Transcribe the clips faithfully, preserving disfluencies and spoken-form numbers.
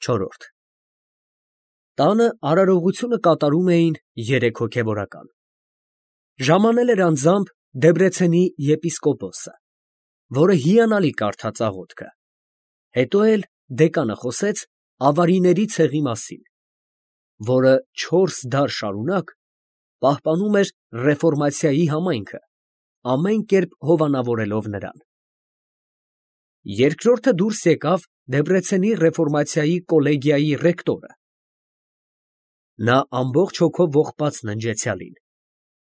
Չորրորդ Տանը արարողությունը կատարում էին երեք հոգևորական. ժամանել էր անձամբ Դեբրեցենի եպիսկոպոսը, որը հիանալի կարդաց աղոթքը, հետո էլ դեկանը խոսեց ավարիների ցեղի մասին, որը չորս դար շարունակ պահպանում էր ռեֆորմացիայի համայնքը, ամեն կերպ հովանավորելով նրան։ Երկրորդը դուրս եկավ Դեբրեցենի ռեֆորմացիայի կոլեգիայի ռեկտորը։ Նա ամբողջ հոգով ողբաց ննջեցյալին,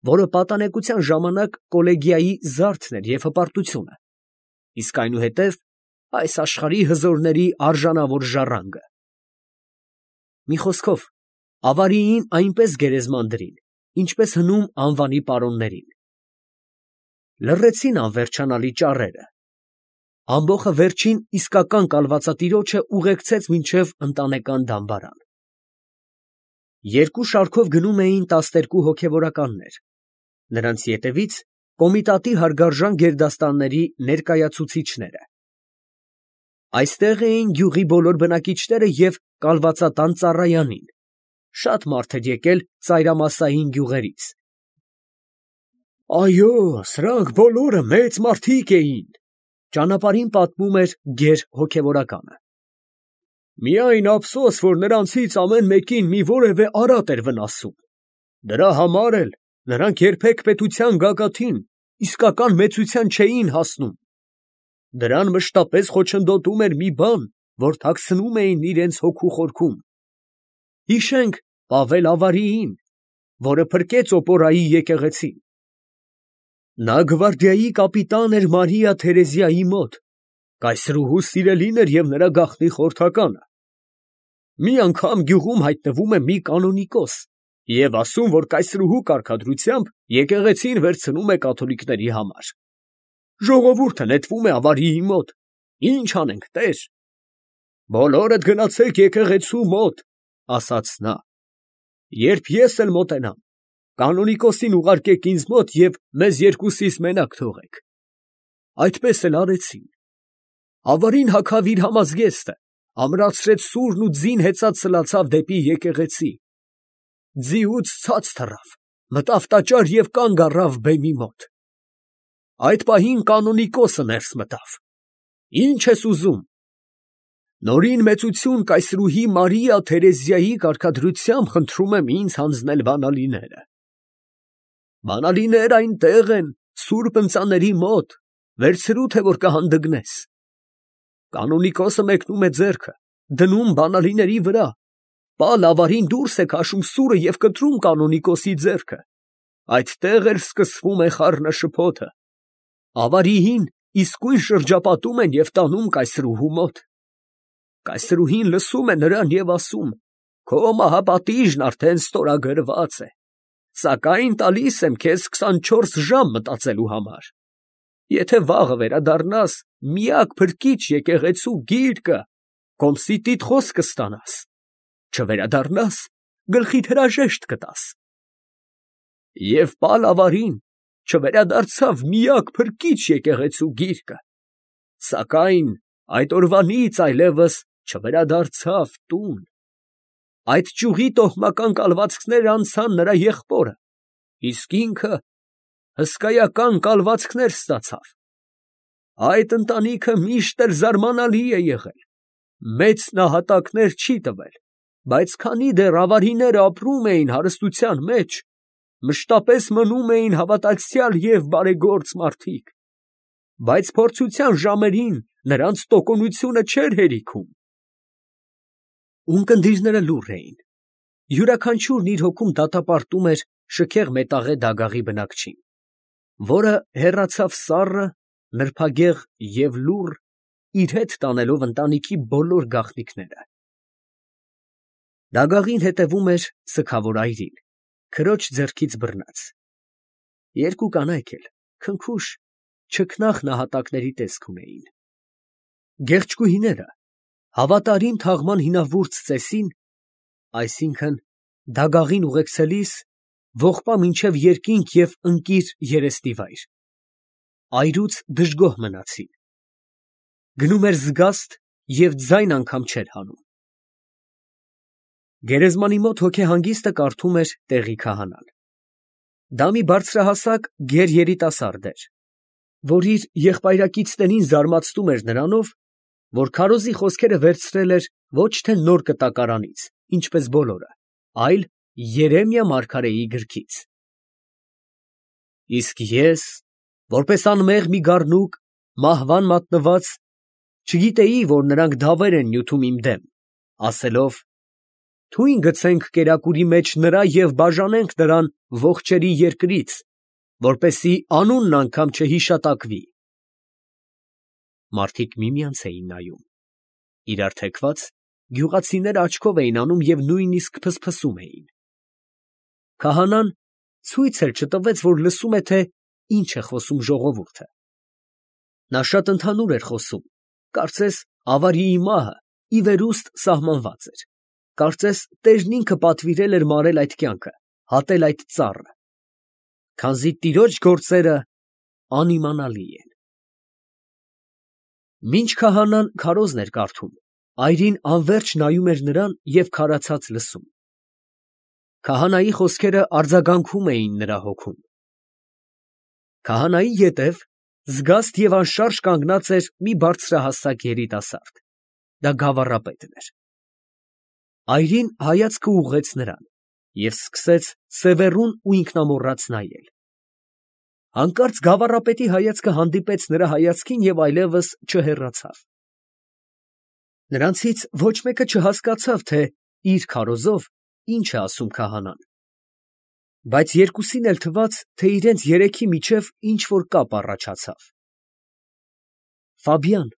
որը պատանեկության ժամանակ կոլեգիայի զարդն էր և հպարտությունը, իսկ այնուհետև այս աշխարհի հզորների արժանավոր ժառանգը։ Մի խոսքով, ավարիին այնպես գերեզման դրին, ինչպես հնում անվանի պարոններին։ Լռեցին անվերջանալի ճառերը։ Ամբոխը վերջին իսկական կալվածատիրոջը ուղեկցեց մինչև ընտանեկան դամբարան։ Երկու շարքով գնում էին տասներկու հոգևորականներ, նրանց ետևից կոմիտատի հարգարժան գերդաստանների ներկայացուցիչները։ Այստեղ էին գյուղի բոլոր բնակիչները և կալվածատան ծառայանին, շատ մարդ էր եկել ծայրամասային գյուղերից։ Այո, սրանք բոլորը մեծ մարդիկ էին, ճանապարհին պատմում էր գեր հոգևորականը։ Միայն ափսոս, որ նրանցից ամեն մեկին մի որևէ արատ էր վնասում։ Դրա համար էլ նրանք երբեք պետության գագաթին իսկական մեծության չէին հասնում։ Դրան մշտապես խոչընդոտում էր մի բան, որ թաքցնում էին իրենց հոգու խորքում։ Հիշենք Պավել Ավարիին, որը փրկեց Օպորայի եկեղեցին։ Նա գվարդիայի կապիտան էր Մարիա Թերեզիայի մոտ, կայսրուհու սիրելին էր և նրա գաղտնի խորհրդականը։ Մի անգամ գյուղում հայտնվում է մի կանոնիկոս և ասում, որ կայսրուհու կարգադրությամբ եկեղեցին վերցնում է կաթոլիկների համար։ Ժողովուրդը նետվում է Ավարիի մոտ. Ի՞նչ անենք, տեր։ Բոլորդ գնացեք եկեղեցու մոտ, ասաց նա։ Երբ ես էլ մոտենամ, կանոնիկոսին ուղարկեք ինձ մոտ և մեզ երկուսիս մենակ թողեք։ Այդպես էլ արեցին։ Ավարին հագավ իր համազգեստը, ամրացրեց սուրն ու ձին հեծած սլացավ դեպի եկեղեցի։ Ձիուց ցած թռավ, մտավ տաճար և կանգ առավ բեմի մոտ։ Այդ պահին կանոնիկոսը ներս մտավ. Ի՞նչ ես ուզում։ Նորին մեծություն կայսրուհի Մարիա Թերեզիայի կարգադրությամբ խնդրում եմ ինձ հանձնել բանալիները։ Բանալիներ այնտեղ են, սուրբ ընծաների մոտ, վերցրու, թե որ կհանդգնես։ Կանոնիկոսը մեկնում է ձեռքը, դնում բանալիների վրա, Պալ Ավարին դուրս է քաշում սուրը և կտրում կանոնիկոսի ձեռքը։ Այդտեղ էլ սկսվում է խառնաշփոթը։ Ավարիին իսկույն շրջապատում են և տանում կայսրուհու մոտ։ Կայսրուհին լսում է նրան և ասում. Քո մահապատիժն արդեն ստորագրված է, սակայն տալիս եմ քեզ քսանչորս ժամ մտածելու համար։ Եթե վաղը վերադառնաս, միակ փրկիչ եկեղեցու գիրկը, Կոմսիտիդ խոսքը ստանաս, չվերադառնաս, գլխիդ հրաժեշտ կտաս։ Եվ Պալ Ավարին չվերադարձավ միակ փրկիչ եկեղեցու գիրկը, սակայն այդ օրվանից այլևս չվերադարձավ տուն։ Այդ ճյուղի տոհմական կալվածքները անցան նրա եղբորը, իսկ ինքը հսկայական կալվածքներ ստացավ։ Այդ ընտանիքը միշտ էլ զարմանալի է եղել, մեծ նահատակներ չի տվել, բայց քանի դեռ ավարիները ապրում էին հարստության մեջ, մշտապես մնում էին հավատացյալ և բարեգործ մարդիկ, բայց փորձության ժամերին նրանց տոկունությունը չէր հերիքում։ Ունկնդիրները լուռ էին, յուրաքանչյուրն իր հոգում դատապարտում էր շքեղ մետաղե դագաղի բնակչին, որը հեռացավ սառը, նրբագեղ և լուռ, իր հետ տանելով ընտանիքի բոլոր գաղտնիքները։ Դագաղին հետևում էր սգավոր այրին, քրոջ ձեռքից բռնած։ Երկու կանայք էլ, քնքուշ, չքնաղ նահատակների տեսք ունեին։ Գեղչկուհիները հավատարիմ թաղման հինավուրց ծեսին, այսինքն դագաղին ուղեկցելիս, ողբա մինչև երկինք և ընկիր երեստիվայր, այրուց դժգոհ մնացին։ Գնում էր զգաստ և ձայն անգամ չէր հանում։ Գերեզմանի մոտ հոգեհանգիստը կարդում էր տեղի քահանան։ Դա մի բարձրահասակ գեր երիտասարդ էր, որ իր եղբայրակիցներին զարմացնում էր նրանով, որ քարոզի խոսքերը վերցրել էր ոչ թե նոր կտակարանից, ինչպես բոլորը, այլ Երեմիա մարգարեի գրքից։ Իսկ ես, որպես անմեղ մի գառնուկ, մահվան մատնված, չգիտեի, որ նրանք դավեր են նյութում իմ դեմ, ասելով. «Թույն գցենք կերակուրի մեջ նրա և բաժանենք նրան ողջերի երկրից, որպեսզի անունն անգամ չհիշատակվի»։ Մարդիկ միմյանց էին նայում, իրար թեքված, գյուղացիները աչքով էին անում և նույնիսկ փսփսում էին։ Քահանան ցույց էլ չտվեց, որ լսում է, թե ինչ է խոսում ժողովուրդը։ Նա շատ ընդհանուր էր խոսում, կարծես ավարիի մահը ի վերուստ սահմանված էր, կարծես տերն ինքը պատվիրել էր մարել այդ կյանքը, հատել այդ ծառը, քանզի տիրոջ գործերը անիմանալի են։ Մինչ քահանան քարոզն էր կարդում, այրին անվերջ նայում էր նրան և քարացած լսում։ Քահանայի խոսքերը արձագանքում էին նրա հոգում։ Քահանայի ետև զգաստ և անշարժ կանգնած էր մի բարձրահասակ երիտասարդ, դա գավառապետն էր։ Այրին հայացքը ուղղեց նրան և սկսեց սևեռուն ու ինքնամոռաց նայել։ Հանկարծ գավառապետի հայացքը հանդիպեց նրա հայացքին և այլևս չհեռացավ։ Նրանցից ոչ մեկը չհասկացավ, թե իր քարոզով ինչ է ասում քահանան, բայց երկուսին էլ թվաց, թե իրենց երեքի միջև ինչ֊որ կապ առաջացավ։ Ֆաբիան,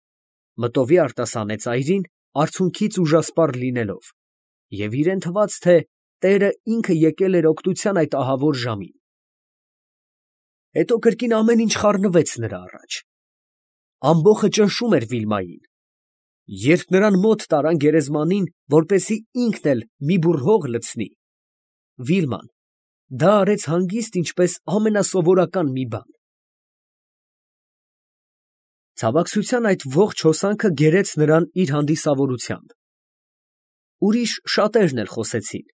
մտովի արտասանեց Այրին, արցունքից ուժասպառ լինելով, և իրան թվաց, թե Տերը ինքը եկել էր օգնության այդ ահավոր ժամին։ Հետո կրկին ամեն ինչ խառնվեց նրա առաջ։ Ամբոխը ճնշում էր Վիլմային։ Երբ նրան մոտ տարան գերեզմանին, որպեսզի ինքն էլ մի բուռ հող լցնի, Վիլման դա արեց հանգիստ, ինչպես ամենասովորական մի բան։ Ցավակցության այդ ողջ հոսանքը գերեց նրան իր հանդիսավորությամբ։ Ուրիշ շատերն էլ խոսեցին։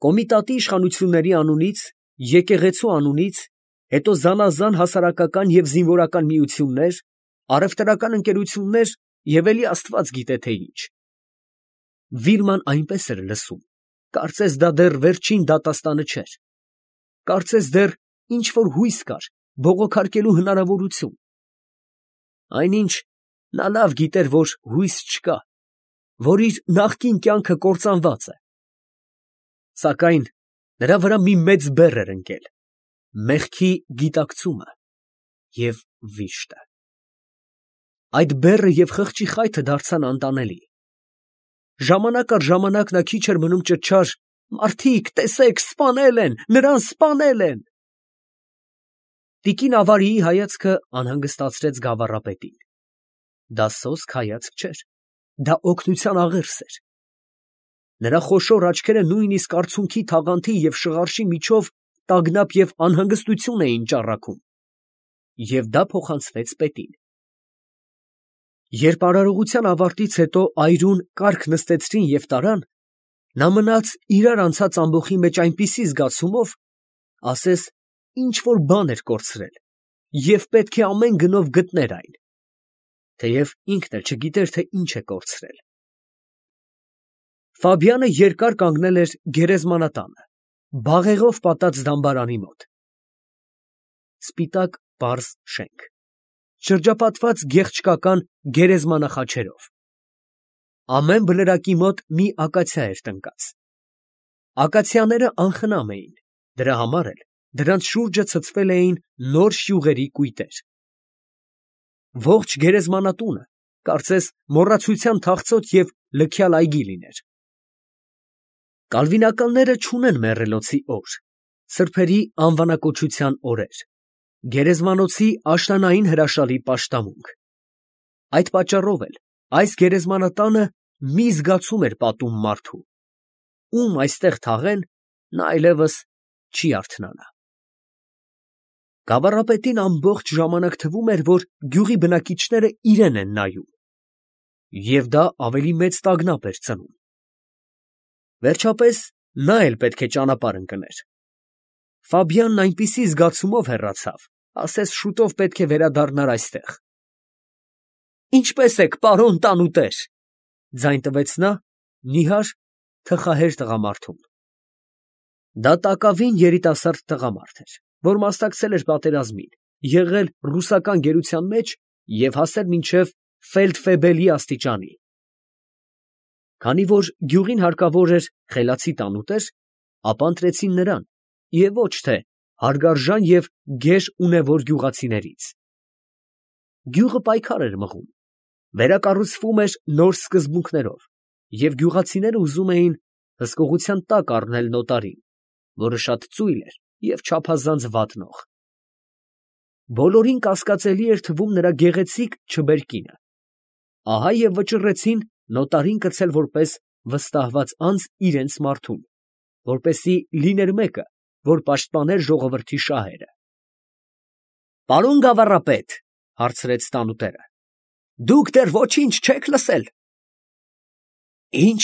Կոմիտատի իշխանությունների անունից, եկեղեցու անունից, հետո զանազան հասարակական և զինվորական միություններ, առևտրական ընկերություններ և էլի աստված գիտե թե ինչ։ Վիլման այնպես էր լսում, կարծես դա դեռ վերջին դատաստանը չէր, կարծես դեռ ինչ֊որ հույս կար, բողոքարկելու հնարավորություն։ Այնինչ նա լավ գիտեր, որ հույս չկա, որ իր նախկին կյանքը կործանված է։ Սակայն նրա վրա մի մեծ բեռ էր ընկել, մեղքի գիտակցումը և վիշտը։ Այդ բեռը և խղճի խայթը դարձան անտանելի։ Ժամանակ առ ժամանակ նա քիչ էր մնում ճչար. «Մարդիկ, տեսեք, սպանել են, նրան սպանել են»։ Տիկին Ավարիի հայացքը անհանգստացրեց գավառապետին։ Դա սոսկ հայացք չէր, դա օգնության աղերս էր։ Նրա խոշոր աչքերը նույնիսկ արցունքի թաղանթի և շղարշի միջով տագնապ և անհանգստություն էին ճառագում, և դա փոխանցվեց պետին։ Երբ արարողության ավարտից հետո այրուն կառք նստեցրին և տարան, նա մնաց իրար անցած ամբոխի մեջ այնպիսի զգացումով, ասես ինչ֊որ բան էր կորցրել և պետք է ամեն գնով գտներ այն, թեև ինքն էլ չգիտեր, թե ինչ է կորցրել։ Ֆաբիանը երկար կանգնել էր գերեզմանատանը, բաղեղով պատած դամբարանի մոտ։ Սպիտակ պարզ շենք, շրջապատված գեղչկական գերեզմանախաչերով։ Ամեն բլրակի մոտ մի ակացիա էր տնկած։ Ակացիաները անխնամ էին, դրա համար էլ դրանց շուրջը ցցվել էին նոր շյուղերի կույտեր։ Ողջ գերեզմանատունը կարծես մոռացության թախծոտ և լքյալ այգի լիներ։ Կալվինականները չունեն մեռելոցի օր, սրբերի անվանակոչության օրեր, գերեզմանոցի աշնանային հրաշալի պաշտամունք։ Այդ պատճառով էլ այս գերեզմանատանը մի զգացում էր պատում մարդու. ում այստեղ թաղեն, նա այլևս չի արթնանա։ Գավառապետին ամբողջ ժամանակ թվում էր, որ գյուղի բնակիչները իրան են նայում, և դա ավելի մեծ տագնապ էր ծնում։ Վերջապես նա էլ պետք է ճանապարհ ընկներ։ Ֆաբիանն այնպիսի զգացումով հեռացավ, ասես շուտով պետք է վերադառնար այստեղ։ Ինչպե՞ս եք, պարոն տանուտեր, ձայն տվեց նա նիհար, թխահեր տղամարդուն։ Դա տակավին երիտասարդ տղամարդ էր, որ մասնակցել էր պատերազմին, եղել ռուսական գերության մեջ և հասել մինչև ֆելդֆեբելի աստիճանի։ Քանի որ գյուղին հարկավոր էր խելացի տանուտեր, ապա ընտրեցին նրան, և ոչ թե հարգարժան և գեր ունևոր գյուղացիներից։ Գյուղը պայքար էր մղում, վերակառուցվում էր նոր սկզբունքներով, և գյուղացիները ուզում էին հսկողության տակ առնել նոտարին, որը շատ ծույլ էր և չափազանց վատնող։ Բոլորին կասկածելի էր թվում նրա գեղեցիկ չբերկինը։ Ահա և վճռեցին նոտարին կցել որպես վստահված անձ իրենց մարդուն, որպեսզի լիներ մեկը, որ պաշտպաներ ժողովրդի շահերը։ Պարոն գավառապետ, հարցրեց տանուտերը, դուք դեռ ոչինչ չեք լսել։ Ինչ։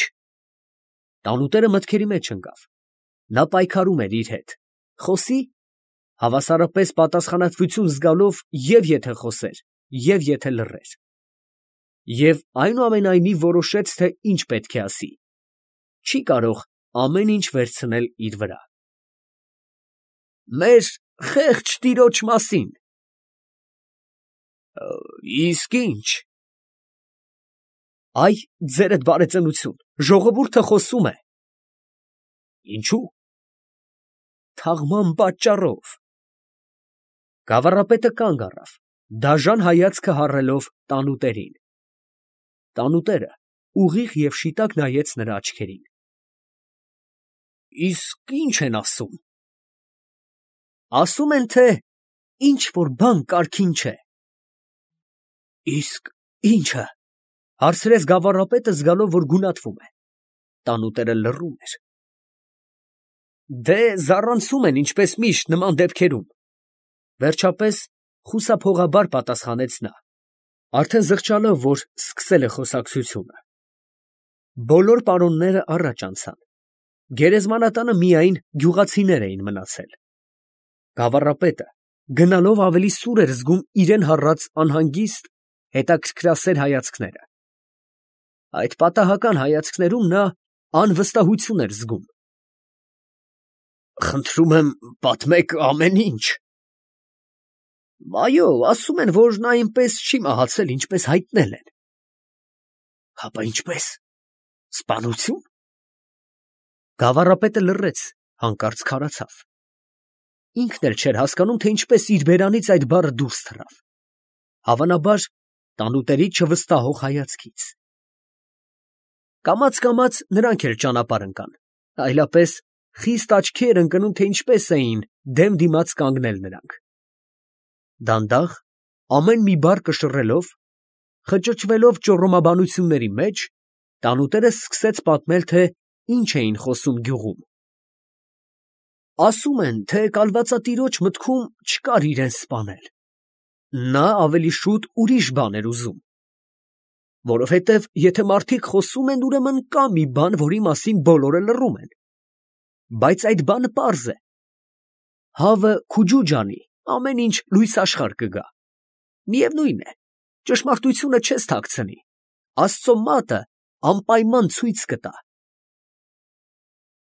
Տանուտերը մտքերի մեջ ընկավ։ Նա պայքարում էր իր հետ, խոսի, հավասարապես պատասխանատվություն զգալով և եթե խոսեր, և եթե լռեր։ Եվ այնուամենայնիվ որոշեց, թե ինչ պետք է ասի։ Չի կարող ամեն ինչ վերցնել իր վրա։ Մեր խեղճ տիրոջ մասին։ Իսկ ի՞նչ։ Այ ձերդ բարեծնություն, ժողովուրդը խոսում է։ Ինչո՞ւ։ Թաղման պատճառով։ Գավառապետը կանգ առավ, դաժան հայացքը հառելով տանուտերին։ Տանուտերը ուղիղ և շիտակ նայեց նրա աչքերին։ Իսկ ի՞նչ են ասում։ Ասում են, թե ինչ որ բան կարգին չէ։ Իսկ ի՞նչը, հարցրեց գավառապետը, զգալով, որ գունատվում է։ Տանուտերը լռում էր։ Դե զառանցում են, ինչպես միշտ նման դեպքերում։ Վերջապես խուսափողաբար պատասխանեց նա, արդեն զղջալով, որ սկսել է խոսակցությունը։ Բոլոր պարոնները առաջ անցան։ Գերեզմանատանը միայն գյուղացիներ էին մնացել։ Գավառապետը գնալով ավելի սուր էր զգում իրան հառած անհանգիստ, հետաքրքրասեր հայացքները։ Այդ պատահական հայացքներում նա անվստահություն էր զգում։ Խնդրում եմ, պատմեք ամեն ինչ։ Այո, ասում են, որ նա այնպես չի մահացել, ինչպես հայտնել են։ Հապա ինչպես, սպանությո՞ւն։ Գավառապետը լռեց, հանկարծ քարացավ։ Ինքն էլ չէր հասկանում, թե ինչպես իր բերանից այդ բառը դուրս թռավ։ Հավանաբար, տանուտերի չվստահող հայացքից։ Կամաց֊կամաց նրանք էլ ճանապարհ ընկան, այլապես խիստ աչքի էր ընկնում, թե ինչպես էին դեմ դիմաց կանգնել նրանք։ Դանդաղ, ամեն մի բառ կշռելով, խճճվելով ճոռոմաբանությունների մեջ, տանուտերը սկսեց պատմել, թե ինչ էին խոսում գյուղում։ Ասում են, թե կալվածատիրոջ մտքում չկար իրան սպանել։ Նա ավելի շուտ ուրիշ բան էր ուզում։ Որովհետև եթե մարդիկ խոսում են, ուրեմն կա մի բան, որի մասին բոլորը լռում են։ Բայց այդ բանը պարզ է։ Հավը քուջուջ անի, ամեն ինչ լույս աշխարհ կգա։ Միևնույն է, ճշմարտությունը չես թաքցնի, Աստծո մատը անպայման ցույց կտա։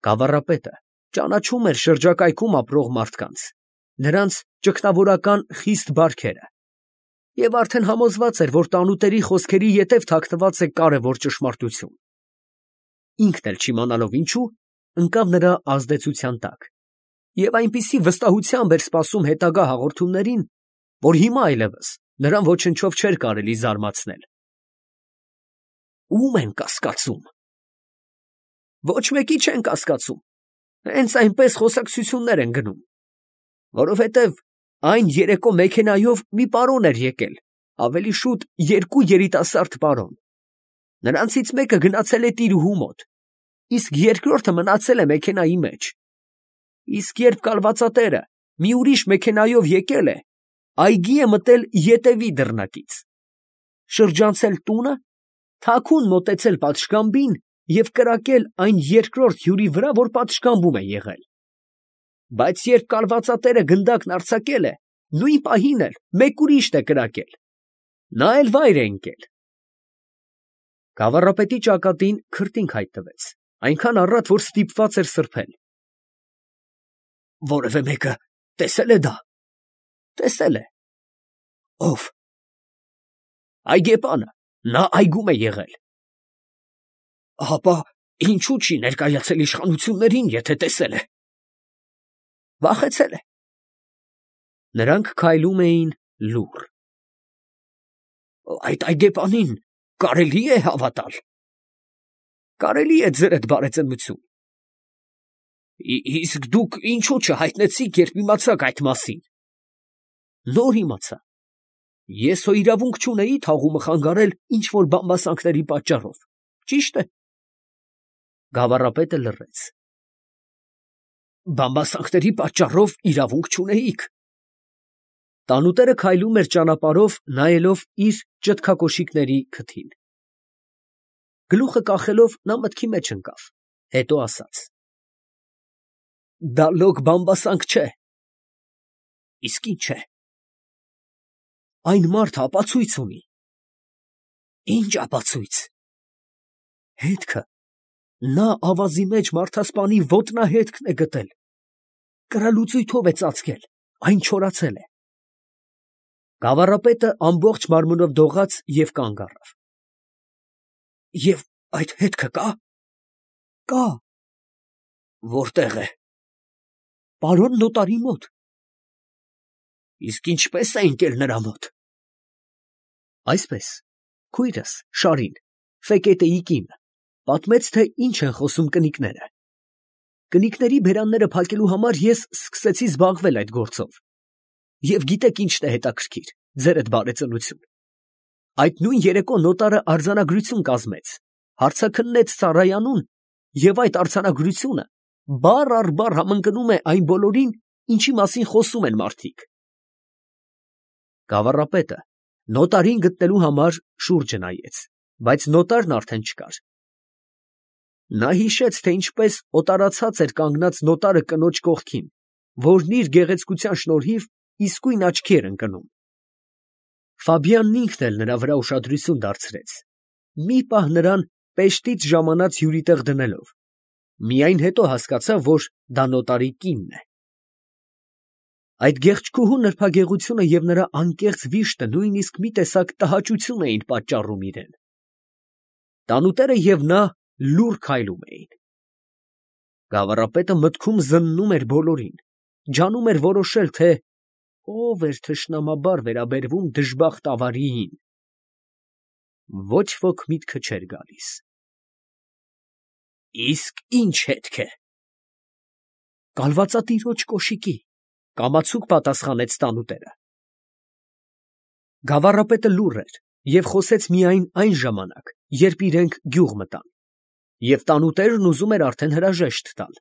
Գավառապետը ճանաչում էր շրջակայքում ապրող մարդկանց, նրանց ճգնավորական խիստ բարքերը, և արդեն համոզված էր, որ տանուտերի խոսքերի ետև թաքնված է կարևոր ճշմարտություն։ Ինքն էլ չիմանալով ինչու, ընկավ նրա ազդեցության տակ, և այնպիսի վստահությամբ էր սպասում հետագա հաղորդումներին, որ հիմա այլևս նրան ոչնչով չէր կարելի զարմացնել։ Ո՞ւմ են կասկածում։ Ոչ մեկի չեն կասկածում, հենց այնպես խոսակցություններ են գնում, որովհետև այն երեկո մեքենայով մի պարոն էր եկել, ավելի շուտ երկու երիտասարդ պարոն։ Նրանցից մեկը գնացել է տիրուհու մոտ, իսկ երկրորդը մնացել է մեքենայի մեջ։ Իսկ երբ կալվածատերը մի ուրիշ մեքենայով եկել է, այգի է մտել ետևի դռնակից, շրջանցել տունը, թաքուն մոտեցել պատշգամբին և կրակել այն երկրորդ հյուրի վրա, որ պատշգամբում է եղել. բայց երբ կալվածատերը գնդակն արձակել է, նույն պահին էլ մեկ ուրիշն է կրակել. նա էլ վայր է ընկել։ Գավառապետի ճակատին քրտինք հայտնվեց, այնքան առատ, որ ստիպված էր սրբել։ Որևէ մեկը տեսե՞լ է դա։ Տեսել է։ Ո՞վ։ Այգեպանը, նա այգում է եղել։ Հապա ինչու չի ներկայացել իշխանություններին, եթե տեսել է։ Վախեցել է։ Նրանք քայլում էին լուռ։ Այդ այգեպանին կարելի է հավատալ։ Կարելի է, ձերդ բարեծնություն։ Իսկ դուք ինչու չհայտնեցիք, երբ իմացաք այդ մասին։ Նոր իմացա։ Ես հո իրավունք չունեի թաղումը խանգարել ինչ֊որ բամբասանքների պատճառով։ Ճիշտ է։ Գավառապետը լռեց։ Բամբասանքների պատճառով իրավունք չունեիք։ Տանուտերը քայլում էր ճանապարհով, նայելով իր ճտկակոշիկների քթին։ Գլուխը կախելով նա մտքի մեջ ընկավ, հետո ասաց. Դա լոկ բամբասանք չէ։ Իսկ ինչ է։ Այն մարդը ապացույց ունի։ Ինչ ապացույց։ Հետքը։ Նա ավազի մեջ մարդասպանի ոտնահետքն է գտել։ Կրալուծույթով է ծածկել, այն չորացել է։ Գավառապետը ամբողջ մարմնով դողաց և կանգ առավ։ Եվ այդ հետքը կա։ Կա։ Որտեղ է։ Պարոն նոտարի մոտ։ Իսկ ինչպես է ընկել նրա մոտ։ Այսպես, քույրս Շարին, Ֆեկետեի կինը, պատմեց, թե ինչ են խոսում կնիկները։ Կնիկների բերանները փակելու համար ես սկսեցի զբաղվել այդ գործով։ Եվ գիտեք ինչն է հետաքրքիր, ձերդ բարեծնություն։ Այդ նույն երեկո նոտարը արձանագրություն կազմեց, հարցաքննեց Սարայանուն, և այդ արձանագրությունը բառ առ բառ համընկնում է այն բոլորին, ինչի մասին խոսում են մարդիկ։ Գավառապետը նոտարին գտնելու համար շուրջը նայեց, բայց նոտարն արդեն չկար։ Նա հիշեց, թե ինչպես օտարացած էր կանգնած նոտարը կնոջ կողքին, որն իր գեղեցկության շնորհիվ իսկույն աչքի էր ընկնում։ Ֆաբիանն ինքն էլ նրա վրա ուշադրություն դարձրեց, մի պահ նրան պեշտից ժամանած հյուրի տեղ դնելով, միայն հետո հասկացավ, որ դա նոտարի կինն է։ Այդ գեղեցկուհու նրբագեղությունը և նրա անկեղծ վիշտը նույնիսկ մի տեսակ տհաճություն էին պատճառում իրան։ Տանուտերը և նա լուռ քայլում էին։ Գավառապետը մտքում զննում էր բոլորին, ջանում էր որոշել, թե ով էր թշնամաբար վերաբերվում դժբախտ ավարիին։ Ոչ ոք միտքը չէր գալիս։ Իսկ ի՞նչ հետք է։ Կալվածատիրոջ կոշիկի, կամացուկ պատասխանեց տանուտերը։ Գավառապետը լուռ էր և խոսեց միայն այն ժամանակ, երբ իրենք գյուղ մտան, և տանուտերն ուզում էր արդեն հրաժեշտ տալ։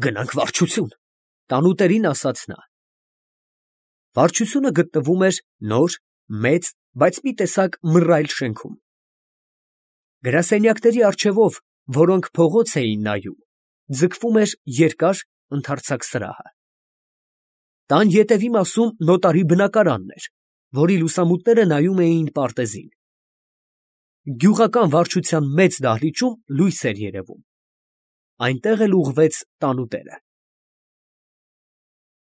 Գնանք վարչություն, տանուտերին ասաց նա։ Վարչությունը գտնվում էր նոր, մեծ, բայց մի տեսակ մռայլ շենքում։ Գրասենյակների առջևով, որոնք փողոց էին նայում, ձգվում էր երկար, ընդարձակ սրահը։ Տան ետևի մասում նոտարի բնակարանն էր, որի լուսամուտները նայում էին պարտեզին։ Գյուղական վարչության մեծ դահլիճում լույս էր երևում։ Այնտեղ էլ ուղղվեց տանուտերը։